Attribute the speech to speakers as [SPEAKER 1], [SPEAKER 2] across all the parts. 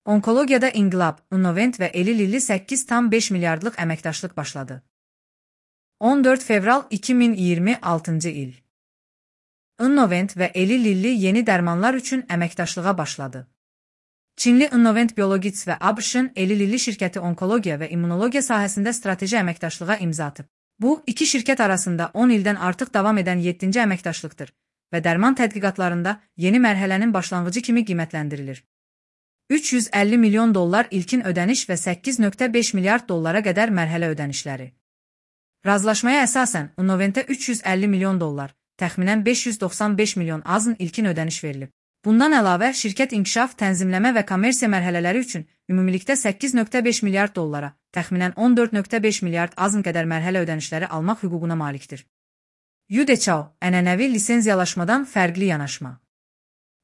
[SPEAKER 1] Onkologiyada inqilab, Innovent və Eli Lilly 8,5 milyardlıq əməkdaşlıq başladı. 14 fevral 2026 il. Innovent və Eli Lilly yeni dərmanlar üçün əməkdaşlığa başladı. Çinli Innovent Biologics və ABŞ-ın Eli Lilly şirkəti onkologiya və immunologiya sahəsində strateji əməkdaşlığa imza atıb. Bu, iki şirkət arasında 10 ildən artıq davam edən 7-ci əməkdaşlıqdır və dərman tədqiqatlarında yeni mərhələnin başlanğıcı kimi qiymətləndirilir. $350 milyon ilkin ödəniş və 8,5 milyard dollara qədər mərhələ ödənişləri. Razılaşmaya əsasən Innoventə $350 milyon, təxminən 595 milyon AZN ilkin ödəniş verilib. Bundan əlavə, şirkət inkişaf, tənzimləmə və kommersiya mərhələləri üçün ümumilikdə 8,5 milyard dollara, təxminən 14,5 milyard AZN qədər mərhələ ödənişləri almaq hüququna malikdir. Yudechao, ənənəvi lisenziyalaşmadan fərqli yanaşma.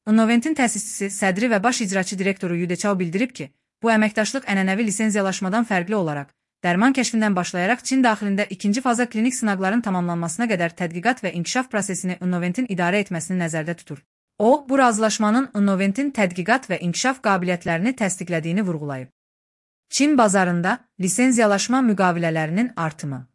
[SPEAKER 1] Innoventin təsisçisi, sədri və baş icraçı direktoru Yudechao bildirib ki, bu əməkdaşlıq ənənəvi lisenziyalaşmadan fərqli olaraq, dərman kəşfindən başlayaraq Çin daxilində ikinci faza klinik sınaqların tamamlanmasına qədər tədqiqat və inkişaf prosesini Innoventin idarə etməsini nəzərdə tutur. O, bu razılaşmanın Innoventin tədqiqat və inkişaf qabiliyyətlərini təsdiqlədiyini vurğulayıb. Çin bazarında lisenziyalaşma müqavilələrinin artımı.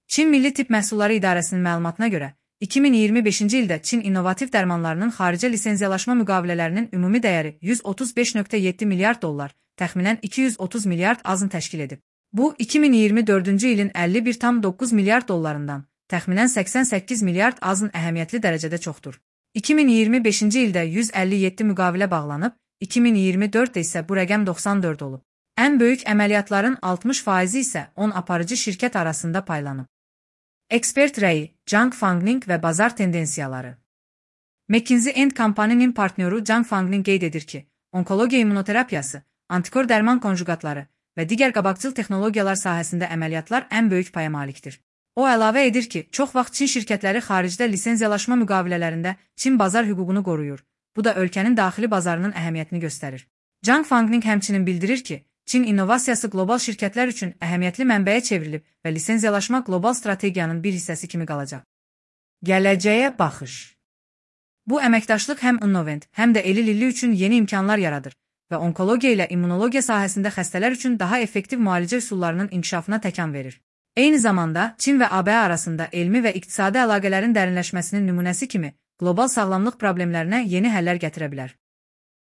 [SPEAKER 1] Çin Milli Tibb Məhsulları İdarəsinin məlumatına görə, 2025-ci ildə Çin innovativ dərmanlarının xaricə lisenziyalaşma müqavilələrinin ümumi dəyəri $135,7 milyard, təxminən 230 milyard AZN təşkil edib. Bu, 2024-cü ilin $51,9 milyard, təxminən 88 milyard AZN əhəmiyyətli dərəcədə çoxdur. 2025-ci ildə 157 müqavilə bağlanıb, 2024-də isə bu rəqəm 94 olub. Ən böyük əməliyyatların 60% isə 10 aparıcı şirkət arasında paylanıb. Ekspert rəyi, Zhang Fangning və bazar tendensiyaları. McKinsey & Company'nin partnyoru Zhang Fangning qeyd edir ki, onkologiya immunoterapiyası, antikor dərman konjugatları və digər qabaqcıl texnologiyalar sahəsində əməliyyatlar ən böyük paya malikdir. O əlavə edir ki, çox vaxt Çin şirkətləri xaricdə lisenziyalaşma müqavilələrində Çin bazar hüququnu qoruyur. Bu da ölkənin daxili bazarının əhəmiyyətini göstərir. Zhang Fangning həmçinin bildirir ki, Çin innovasiyası qlobal şirkətlər üçün əhəmiyyətli mənbəyə çevrilib və lisenziyalaşma qlobal strategiyanın bir hissəsi kimi qalacaq. Gələcəyə baxış. Bu əməkdaşlıq həm Innovent, həm də Eli Lilly üçün yeni imkanlar yaradır və onkologiya ilə immunologiya sahəsində xəstələr üçün daha effektiv müalicə üsullarının inkişafına təkan verir. Eyni zamanda, Çin və ABŞ arasında elmi və iqtisadi əlaqələrin dərinləşməsinin nümunəsi kimi qlobal sağlamlıq problemlərinə yeni həllər gətirə bilər.